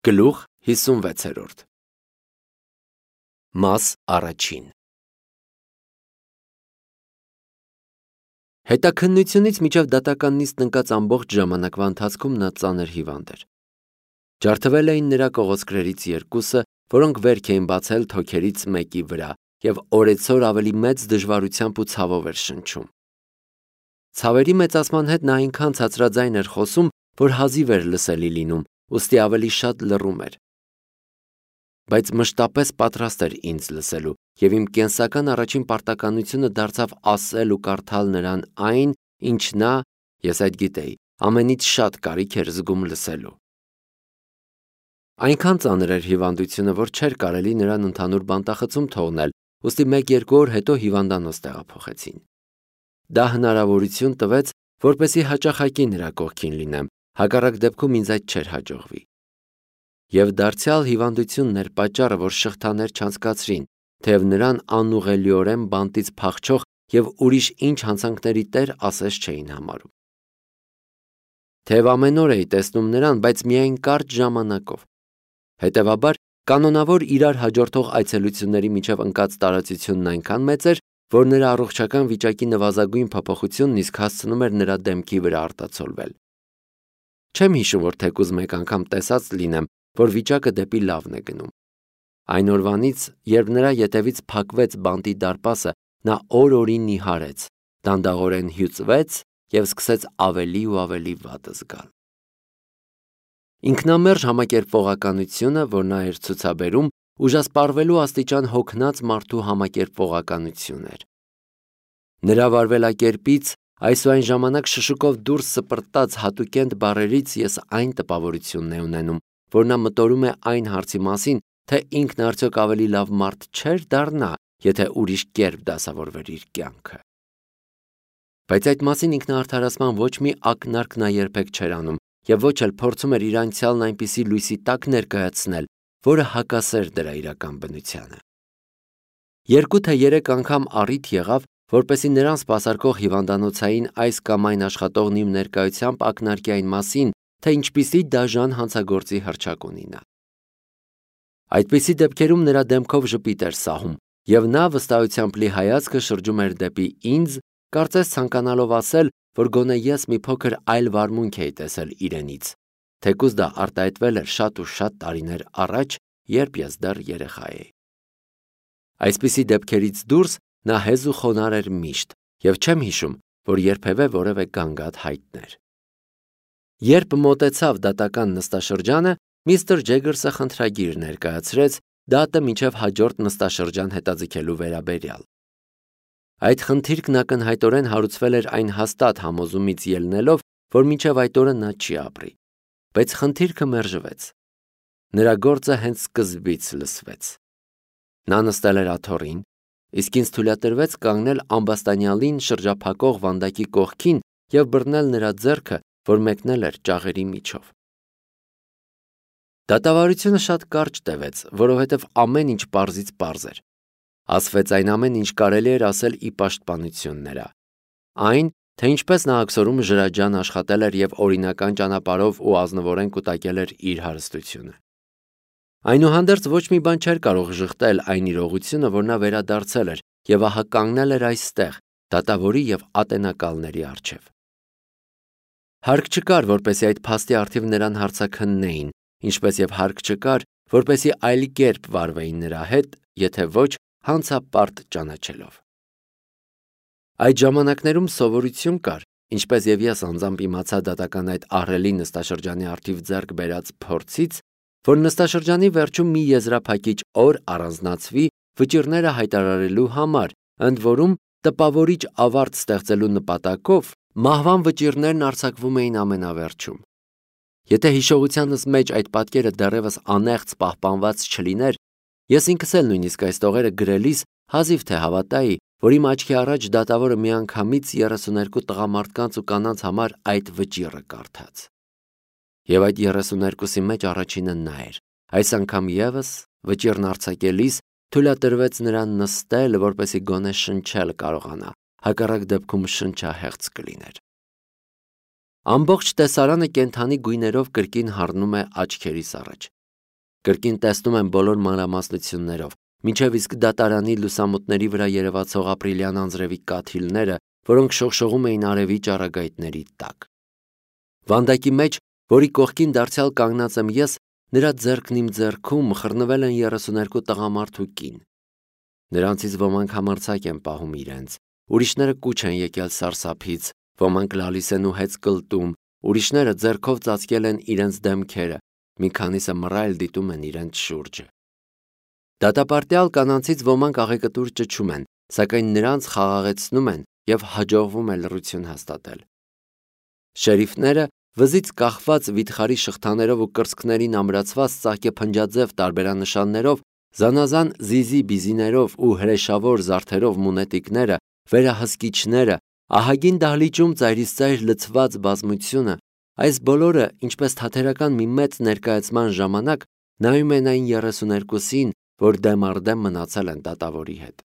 Գլուխ 56 Մաս առաջին Հետաքննությունից մինչև դատական նիստն ընկած ամբողջ ժամանակվա ընթացքում նա ծանր հիվանդ էր։ Ջարդվել էին նրա կողոսկրերից երկուսը, որոնք վերք էին բացել թոքերից մեկի վրա և օրեցօր ավելի մեծ դժվարությամբ ու ցավով էր շնչում։ Ցավերի մեծացման հետ նա այնքան ցածրաձայն էր խոսում, որ հազիվ էր լսելի լինում, ուստի ավելի շատ լռում էր։ Բայց մշտապես պատրաստ էր ինձ լսելու, և իմ կենսական առաջին պարտականությունը դարձավ ասել ու կարդալ նրան այն, ինչ նա, ես այդ գիտեի, ամենից շատ կարիք էր զգում լսելու։ Այնքան ծանր էր հիվանդությունը, որ չէր կարելի նրան ընդհանուր բանտախցում թողնել, ուստի 1-2 օր հետո հիվանդանոց տեղափոխեցին։ Դա հնարավորություն տվեց, որպեսզի հաճախակի նրա կողքին լինեմ, հակառակ դեպքում ինձ այդ չէր հաջողվի։ Եվ դարձյալ հիվանդությունն էր պատճառը, որ շղթաներ չանցկացրին, թեև նրան անուղղելիորեն բանտից փախչող և ուրիշ ինչ հանցանքների տեր ասես չէին համարում։ Թեև ամեն օր էի տեսնում նրան, բայց միայն կարճ ժամանակով։ Հետևաբար, կանոնավոր իրար հաջորդող այցելությունների միջև ընկած տարածությունն այնքան մեծ էր, որ նրա առողջական վիճակի նվազագույն փոփոխությունն իսկ հասցնում էր նրա դեմքի վրա արտացոլվել։ Չեմ հիշում, որ թեկուզ մեկ անգամ տեսած լինեմ, որ վիճակը դեպի լավն է գնում։ Այն օրվանից, երբ նրա ետևից փակվեց բանտի դարպասը, նա օր-օրի նիհարեց, դանդաղորեն հյուծվեց և սկսեց ավելի ու ավելի վատ զգալ։ Ինքնամերժ համակերպվողականությունը, որ նա էր ցուցաբերում, ուժասպառվելու աստիճան հոգնած մարդու համակերպվողականություն էր։ Նրա վարվելակերպից այս ու այն ժամանակ շշուկով դուրս սպրտած հատուկենտ բառերից ես այն տպավորությունն է ունենում, որ նա մտորում է այն հարցի մասին, թե ինքն արդյոք ավելի լավ մարդ չէր դառնա, եթե ուրիշ կերպ դասավորվեր իր կյանքը։ Բայց այդ մասին ինքնաարդարացման ոչ մի ակնարկ նա երբեք չէր անում և ոչ էլ փորձում էր իր անցյալն այնպիսի լույսի տակ ներկայացնել, որը հակասեր դրա իրական բնությանը։ 2 թե 3 անգամ առիթ եղավ, որպեսզի նրան սպասարկող հիվանդանոցային այս կամ այն աշխատողն իմ ներկայությամբ ակնարկի այն մասին, թե ինչպիսի դաժան հանցագործի հռչակ ունի նա։ Այդպիսի դեպքերում նրա դեմքով ժպիտ էր սահում, և նա վստահությամբ լի հայացքը շրջում էր դեպի ինձ, կարծես ցանկանալով ասել, որ գոնե ես մի փոքր այլ վարմունք էի տեսել իրենից, թեկուզ դա արտահայտվել էր շատ ու շատ տարիներ առաջ, երբ ես դեռ երեխա էի։ Այսպիսի դեպքերից դուրս նա հեզ ու խոնարհ էր միշտ, և չեմ հիշում, որ երբևէ որևէ գանգատ հայտներ։ Երբ մոտեցավ դատական նստաշրջանը, միստր Ջեգերսը խնդրագիր ներկայացրեց դատը մինչև հաջորդ նստաշրջան հետաձգելու վերաբերյալ։ Այդ խնդիրքն ակնհայտորեն հարուցվել էր այն հաստատ համոզումից ելնելով, որ մինչև այդ օրը նա չի ապրի, բայց խնդիրքը մերժվեց։ Նրա գործը հենց սկզբից լսվեց։ Նա նստել էր աթոռին, իսկ ինձ թույլատրվեց կանգնել ամբաստանյալին շրջափակող վանդակի կողքին և բռնել նրա ձեռքը, որ մեկնել էր ճաղերի միջով։ Դատավարությունը շատ կարճ տևեց, որովհետև ամեն ինչ պարզից պարզ էր։ Ասվեց այն ամեն, ինչ կարելի էր ասել ի պաշտպանություն նրա։ Այն, թե ինչպես նա աքսորում ժրաջան աշխատել էր և օրինական ճանապարհով ու ազնվորեն կուտակել էր իր հարստությունը։ Այնուհանդերձ ոչ մի բան չէր կարող ժխտել այն իրողությունը, որ նա վերադարձել էր և ահա կանգնել էր այստեղ, դատավորի և ատենակալների առջև։ Հարկ չկար, որպեսզի այդ փաստի առթիվ նրան հարցաքննեին, ինչպես և հարկ չկար, որպեսզի այլ կերպ վարվեին նրա հետ, եթե ոչ հանցապարտ ճանաչելով։ Այդ ժամանակներում սովորություն կար, ինչպես և ես անձամբ իմացա դատական այդ ահռելի նստաշրջանի առթիվ ձեռք բերած փորձից, որ նստաշրջանի վերջում մի եզրափակիչ օր առանձնացվի վճիռները հայտարարելու համար, ընդ որում տպավորիչ ավարտ ստեղծելու նպատակով մահվան վճիռներն արձակվում էին ամենավերջում։ Եթե հիշողությանս մեջ այդ պատկերը դեռևս անեղծ պահպանված չլիներ, ես ինքս էլ նույնիսկ այս տողերը գրելիս հազիվ թե հավատայի, որ իմ աչքի առաջ դատավորը միանգամից 32 տղամարդկանց ու կանանց համար այդ վճիռը կարդաց։ Եվ այդ 32-ի մեջ առաջինը նա էր։ Այս անգամ ևս վճիռն արձակելիս թույլատրվեց նրան նստել, որպեսզի գոնե շնչել կարողանա, հակառակ դեպքում շնչահեղձ կլիներ։ Ամբողջ տեսարանը կենդանի գույներով կրկին հառնում է աչքերիս առաջ, Կրկին տեսնում եմ բոլոր մանրամասնություններով, մինչև իսկ դատարանի լուսամուտների վրա երևացող ապրիլյան անձրևի կաթիլները, որոնք շողշողում էին արևի ճառագայթների տակ։ Վանդակի մեջ, որի կողքին դարձյալ կանգնած եմ ես, նրա ձեռքն իմ ձեռքում խռնվել են 32 տղամարդ ու կին։ Նրանցից ոմանք համարձակ են պահում իրենց, ուրիշները կուչ են եկել սարսափից, ոմանք լալիս են ու հեծ կլտում, ուրիշները ձեռքով ծածկել են իրենց դեմքերը, մի քանիսը մռայլ դիտում են իրենց շուրջը։ Դատապարտյալ կանանցից ոմանք աղեկտուր ճչում են, սակայն նրանց խաղաղեցնում են և հաջողվում է լռություն հաստատել։ Շերիֆները վզից կախված վիթխարի շղթաներով ու կրծքներին ամրացված ծաղկեփնջաձև տարբերանշաններով, զանազան զիզի-բիզիներով ու հրեշավոր զարդերով մունետիկները, վերահսկիչները, ահագին դահլիճում ծայրիծայր լցված բազմությունը, այս բոլորը, ինչպես թատերական մի մեծ ներկայացման ժամանակ, նայում են այն 32-ին, որ դեմ առ դեմ մնացել են դատավորի հետ։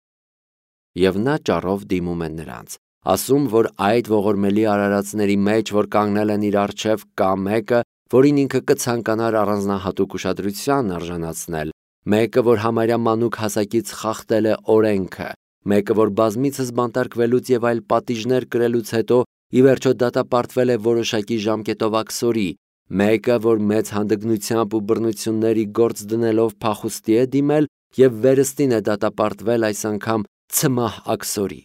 Եվ նա ճառով դիմում է նրանց, ասում, որ այդ ողորմելի արարածների մեջ, որ կանգնել են իր առջև, կա մեկը, որին ինքը կցանկանար առանձնահատուկ ուշադրության արժանացնել, մեկը, որ համարյա մանուկ հասակից խախտել է օրենքը, մեկը, որ բազմիցս բանտարկվելուց և այլ պատիժներ կրելուց հետո ի վերջո դատապարտվել է որոշակի ժամկետով աքսորի, մեկը, որ մեծ հանդգնությամբ ու բռնությունների գործ դնելով փախուստի է դիմել և վերստին է դատապարտվել այս անգամ ցմահ աքսորի։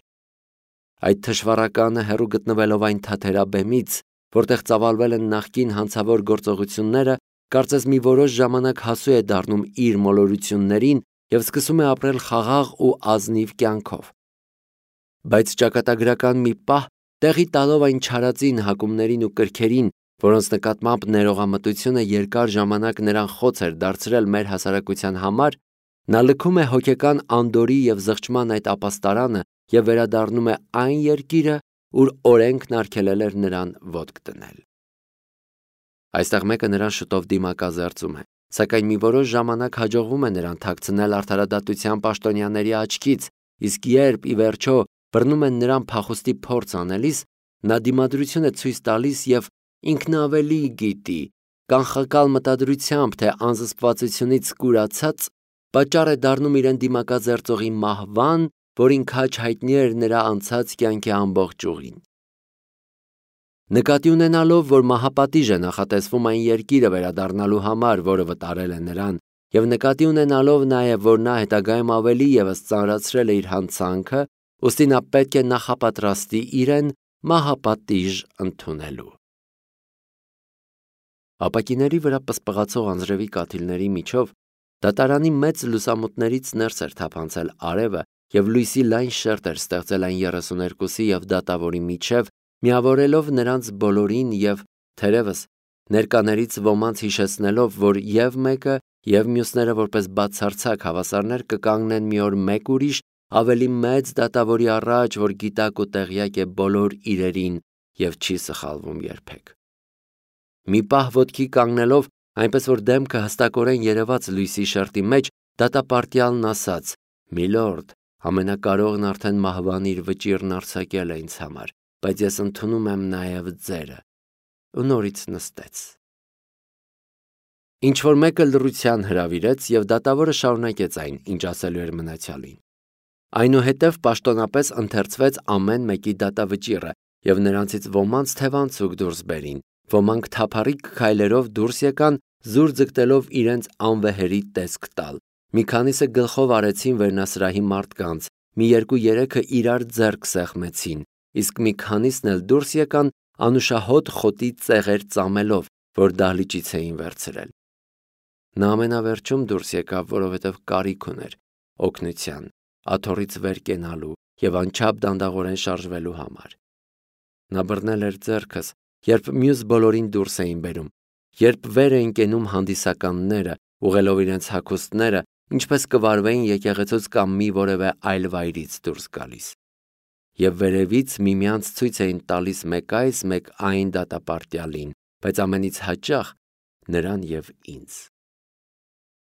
Այդ թշվառականը հեռու գտնվելով այն թաթերաբեմից, որտեղ ծավալվել են նախկին հանցավոր գործողությունները, կարծես մի որոշ ժամանակ հասու է դառնում իր մոլորություններին և սկսում է ապրել խաղաղ ու ազնիվ կյանքով։ Բայց ճակատագրական մի պահ, տեղի տալով այն չարածին հակումներին ու կրքերին, որոնց նկատմամբ ներողամտությունը երկար ժամանակ նրան խոց էր դարձրել մեր հասարակության համար, նա լքում է հոգեկան անդորրի և զղջման այդ ապաստարանը և վերադառնում է այն երկիրը, ուր օրենքն արգելել էր նրան ոտք դնել։ Այստեղ մեկը նրան շուտով դիմակազերծում է, սակայն մի որոշ ժամանակ հաջողվում է նրան թաքցնել արդարադատության պաշտոնյաների աչքից, իսկ երբ ի վերջո բռնում են նրան փախուստի փորձ անելիս, նա դիմադրություն է ցույց տալիս և ինքն ավելի գիտի, կանխակալ մտադրությամբ, թե անզսպվածությունից կուրացած, պատճառ է դառնում իրեն դիմակազերծողի մահվան, որին քաջ հայտնի էր նրա անցած կյանքի ամբողջ ուղին։ Նկատի ունենալով, որ մահապատիժ է նախատեսվում այն երկիրը վերադառնալու համար, որը վտարել է նրան, և նկատի ունենալով նաև, որ նա հետագայում ավելի ևս ծանրացրել է իր հանցանքը, ուստի նա պետք է նախապատրաստի իրեն մահապատիժ ընդունելու։ Ապակիների վրա պսպղացող անձրևի կաթիլների միջով դատարանի մեծ լուսամուտներից ներս էր թափանցել արևը և լույսի լայն շերտ էր ստեղծել այն 32-ի և դատավորի միջև, միավորելով նրանց բոլորին և, թերևս, ներկաներից ոմանց հիշեցնելով, որ և մեկը, և մյուսները որպես բացարձակ հավասարներ կկանգնեն մի օր մեկ ուրիշ, ավելի մեծ դատավորի առաջ, որ գիտակ ու տեղյակ է բոլոր իրերին և չի սխալվում երբեք։ Մի պահ ոտքի կանգնելով, այնպես որ դեմքը հստակորեն երևաց լույսի շերտի մեջ, դատապարտյալն ասաց. «Միլորդ, ամենակարողն արդեն մահվան իր վճիռն արձակել է ինձ համար, բայց ես ընդունում եմ նաև ձերը», ու նորից նստեց։ Ինչ-որ մեկը լռության հրավիրեց, և դատավորը շարունակեց այն, ինչ ասելու էր մնացյալին։ Այնուհետև պաշտոնապես ընթերցվեց ամեն մեկի դատավճիռը, և նրանցից ոմանց թևանցուկ դուրս բերին, ոմանք թափառիկ քայլերով դուրս եկան, զուր ձգտելով իրենց անվեհերի տեսք տալ, մի քանիսը գլխով արեցին վերնասրահի մարդկանց, մի երկու-երեքը իրար ձեռք սեղմեցին, իսկ մի քանիսն էլ դուրս եկան անուշահոտ խոտի ծեղեր ծամելով, որ դահլիճից էին վերցրել։ Նա ամենավերջում դուրս եկավ, որովհետև կարիք ուներ օգնության, աթոռից վեր կենալու և անչափ դանդաղորեն շարժվելու համար։ Նա բռնել էր ձեռքս, երբ մյուս բոլորին դուրս էին բերում, երբ վեր էին կենում հանդիսականները, ուղղելով իրենց հագուստները, ինչպես կվարվեին եկեղեցուց կամ մի որևէ այլ վայրից դուրս գալիս։ Եվ վերևից միմյանց ցույց էին տալիս մեկ այս, մեկ այն դատապարտյալին, բայց ամենից հաճախ նրան և ինձ։